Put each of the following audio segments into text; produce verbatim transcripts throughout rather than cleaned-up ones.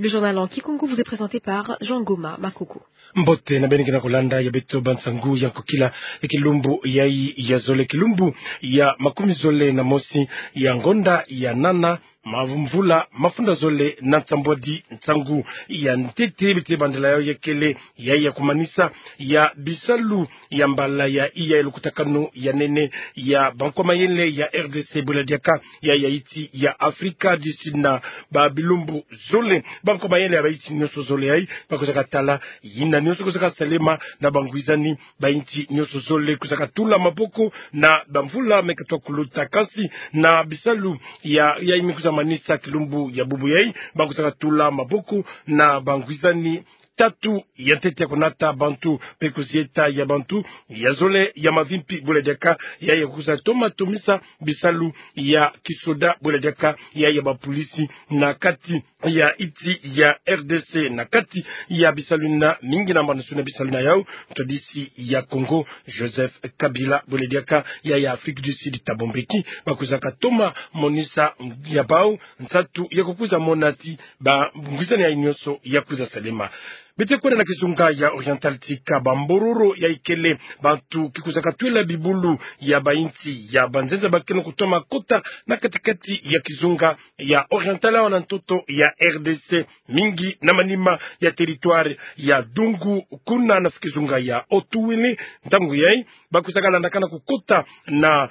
Le journal en kikongo vous est présenté par Jean Goma Makoko. Mbote na beno ke na kolanda ya beto bansangu ya nkokila ya kilumbu yayi ya zole, kilumbu ya makumi zole na mosi ya ngonda ya nana, mavumvula mafunda zole na nsambwadi nsangu ya ntete. Beto bandela yayi ya kele yayi ya kumanisa ya bisalu ya mbala ya iya ya lukutakanu ya nene ya bankwa mayele ya R D C, bwela diaka ya, ya insi ya Afrika du Sud na babilumbu zole. Bankwa mayele ya bainsi nyonso zole yayi bakwizaka tala yina nyonso kwizaka salema na bangwizani. Bainsi nyonso zole kwizaka tula maboko na bamvula me katwa kuluta, kansi na bisalu ya, yayi me kwiza manisa kilumbu ya bubu yayi, bakwizaka tula maboko na bangwizani tatu ya ntete ya kunata bantu mpe kuzieta ya bantu ya zole ya mavimpi, bwela diaka yayi ya kwiza toma tomisa bisalu ya kisoda, bwela diaka yayi ya bapolisi na kati ya insi ya R D C. Na kati ya bisalu yina, mingi na mbandu suna bisalu yina yawu, ntwadisi ya Congo Joseph Kabila, bwela diaka yayi ya Afrique du Sud Thabo Mbeki, bakwizaka toma monisa ya bawu nsatu ya kukwiza mona ti bangwizani yayi nyonso ya kwiza salema. Beto kwenda na kizunga ya Oriental, tika bambororo yayi kele bantu ke kwizaka twela bibulu ya bainsi ya banzenza bakeno kutoma kota na katikati ya kizunga ya Oriental awa na ntoto ya R D C, mingi na manima ya territoire ya Dungu, kuna na kizunga ya Haut-Uele. Ntangu yayi bakwizaka landakana kukota na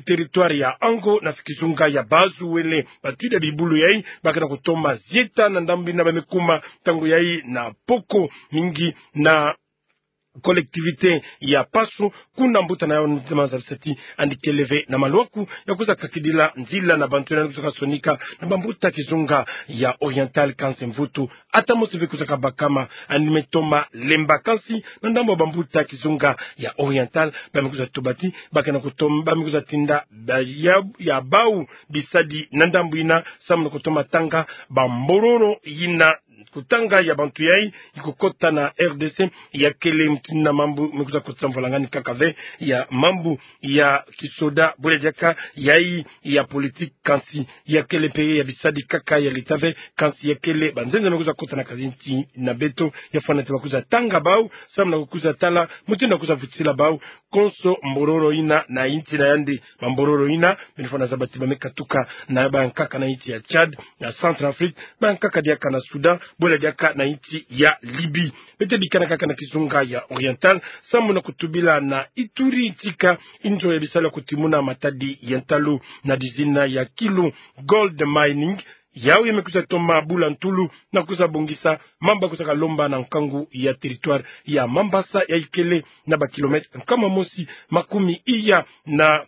territoire ya Ango na kizunga ya Bas-Uele. Batwila bibulu yayi bakena kutoma zieta na ndambu yina, bamekuma ntangu yayi na poko, mingi na collectivité ya Paso, kuna mbuta na yawu Nzema Nzabisati yandi kele ve na malwaku ya kwiza kakidila nzila na bantu yina kwizaka sonika na bambuta kizunga ya Oriental, kansi mvutu ata mosi ve kwizaka bakama. Yandi me toma lemba, kansi na ndambu ya bambuta kizunga ya Oriental, bamekwiza tuba ti bakena kutoma, bamekwiza tinda ba ya, ya bawu bisadi na ndambu yina samu na kutoma tanga bambororo yina, kutanga ya bantu yayi ikukota na R D C. Ya kele mutindu na mambu mekwiza kotisa mvwalangani kaka ve ya mambu ya kisoda, bwela diaka yayi ya politique, kansi ya kele mpe ya bisadi kaka ya leta ve, kansi ya kele banzenza mekwiza kota na kazinti na beto, ya fwana ti bakwiza tanga bawu samu na kukwiza tala mutindu na kwiza vutisila bawu konso mbororo yina na insi na yandi. Bambororo yina, beno fwana zaba ti bamekatuka na bayankaka na insi ya Tchad, na Centrafrique, bayankaka diaka na Soudan, bwela diaka na insi ya Libye. Beto bikana kaka na kizunga ya Oriental samu na kutubila na Ituri, tika inzo ya bisalu ya kutimuna matadi ya ntalu na dizina ya Kilo Gold Mining, yawu ya mekwiza toma bula ntulu na kwiza bongisa mambu ya kwizaka lomba na nkangu ya territoire ya Mambasa, yayi kele na bakilomètre nkama mosi makumi iya na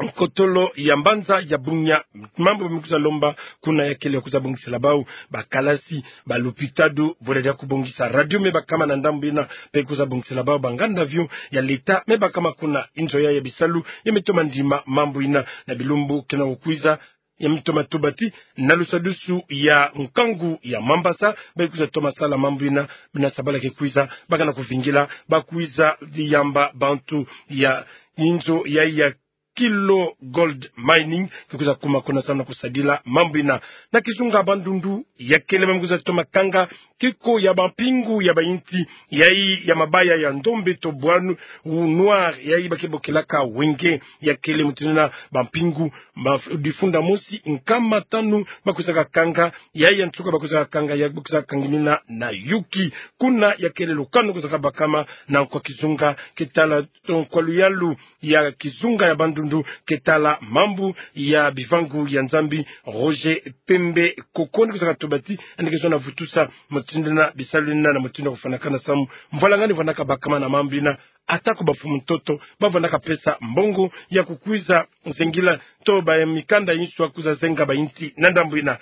nkotolo ya mbanza ya Bunia. Mambu mekwiza lomba kuna ya kele ya kwiza bongisela bawu bakalasi, balupitalu, bwela diaka kubongisa radio me bakama na ndambu yina mpe kwiza bongisela bawu banganda avion ya leta me bakama kuna. Inzo yayi ya bisalu ya metoma ndima mambu yina na bilumbu kena kukwiza. Ya metoma tuba ti na lusadusu ya nkangu ya Mambasa, bakwiza toma sala mambu yina, bina sabala ke kwiza, bakana kuvingila, bakwiza yamba bantu ya inzo yayi ya Kilo Gold Mining ke kwiza kuma kuna samu na kusadila mambu yina. Na kizunga Bandundu, ya kele mambu kwiza toma kanga keko ya bampingu ya bainsi yayi ya mabaya ya ndombe to bois noir, yayi bake bokelaka wenge. Ya kele mutindu na bampingu ma-, difunda mosi nkama tanu bakwizaka kanga, yayi ya nsuka bakwizaka kanga, ya bakwizaka kangamina na yuki. Kuna ya kele lukanu kwizaka bakama na nkwa kizunga ke tala, to nkwa luyalu ya kizunga ya Bandundu ke tala mambu ya bivangu ya Nzambi, Roger Pembe Kokoni, kwizaka tuba ti yandi ke zona vutusa mutindu na bisalu yina na mutindu ya kufwanakana samu mvwalangani vwanaka bakama na mambu yina. Ata ko bamfumu ntoto bavwanaka pesa mbongo ya kukwiza zengila to ba ya mikanda inso ya kwiza zenga bainsi na ndambu yina.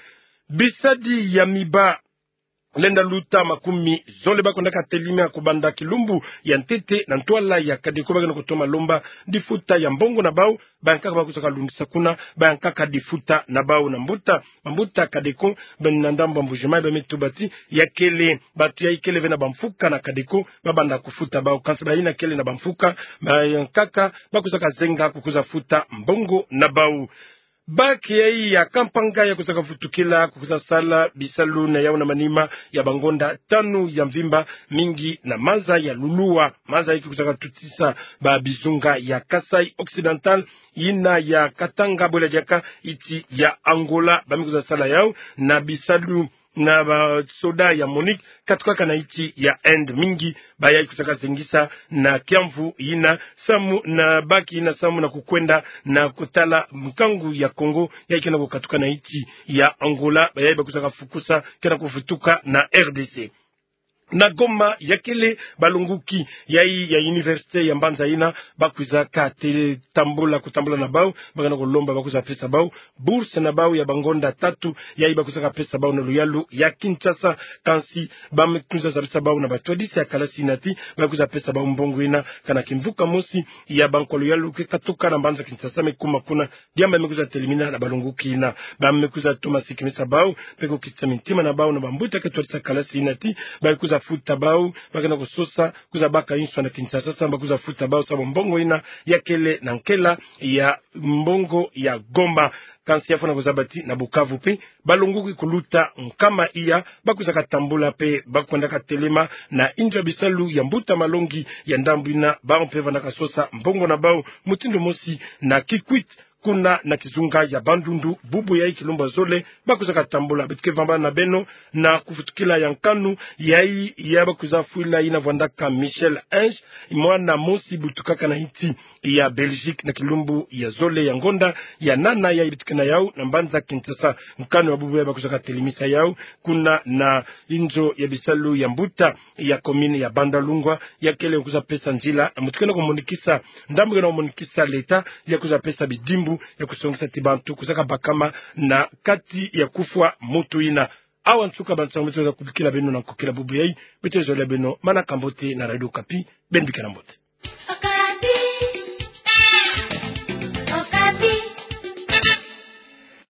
Bisadi ya miba lenda luta makumi zole bakwendaka telimia kubanda kilumbu ya ntete na ntwala ya Kadeko, bakena kutoma lomba difuta ya mbongo na bawu. Bayankaka bakwizaka lundisa kuna bayankaka difuta na bawu na mbuta, bambuta Kadeko, bena na ndambu ya Mbuji-Mayi, bame tuba ti ya kele bantu yayi kele ve na bamfuka na Kadeko babanda kufuta bawu, kansi bayina kele na bamfuka, bayankaka bakwizaka zenga kukwiza futa mbongo na bawu. Bac yai ya Kampanga ya kwizaka vutukila, kwizaka sala bisalu na yau na manima ya bangonda tanu ya mvimba, mingi na maza ya lulua. Maza yai kwizaka tutisa babizunga ya Kasaï Occidental, yina ya Katanga, bwela diaka iti ya Angola. Ba me kwizaka sala yau na bisalu na basoda ya MONUC katukaka na iti ya Inde. Mingi ba yai kwizaka zengisa na kiamvu yina samu na bac yina samu na kukwenda na kutala nkangu ya Congo yai kena kukatuka na iti ya Angola. Ba yai ba kwizaka fukusa kena kuvutuka na RDC. Na Goma, ya kele balongoki yai ya université ya mbanza yina, ba kwizaka te tambula, kutambula na bau, ba kena kulomba ba kwiza pesa bau bourse na bau ya bangonda tatu yai ba kwizaka pesa bau na luyalu ya Kinshasa. Kansi ba me kwiza zabisa bau na batwadisi ya kalasi yina ti ba kwiza pesa bau mbongo yina, kana kimvuka mosi ya bankwa luyalu ke katuka na mbanza Kinshasa me kuma kuna. Diambu me kwiza telimina na balongoki yina. Ba me kwiza toma sikimisa bau, pe kukitisa mintima na bau na bambuta ke twadisa kalasi yina ti ba kwiza futa bau, ba kena kusosa kwiza baka inswa na Kinshasa samu ba kwiza futa bau samu mbongo yina ya kele na nkela ya mbongo ya Goma. Kansi ya fwana kuzaba ti na Bukavu pe balongoki kuluta nkama iya ba kwizaka tambula pe ba kwendaka telema na inzo ya bisalu ya mbuta malongi ya ndambu yina, bau mpe vandaka sosa mbongo na bau mutindu mosi na Kikwit, kuna na kizunga ya Bandundu. Bubu yai kilumbu ya zole ba kwizaka tambula. Beto ke vambana na beno na kuvutukila ya nkanu yai ya ba kwiza fwila yina vwandaka Michel Ange, mwana mosi butukaka na iti ya Belgique, na kilumbu ya zole ya ngonda ya nana yai beto ke na yau na mbanza Kinshasa. Nkanu ya bubu yai ba kwizaka telimisa yau kuna na inzo ya bisalu ya mbuta ya commune ya Bandalungwa, ya kele kwiza pesa nzila na mutu kena kumonikisa, ndambu kena kumonikisa l'État, ya kwiza pesa bidimbu ya kusongisa ti bantu kwizaka bakama na kati ya kufwa mutu yina. Awa nsuka bantu ya mutu za kubikila beno na nkokila bubu yai. Beto zolele beno manaka mbote na Radio Okapi. Beno bikana mbote.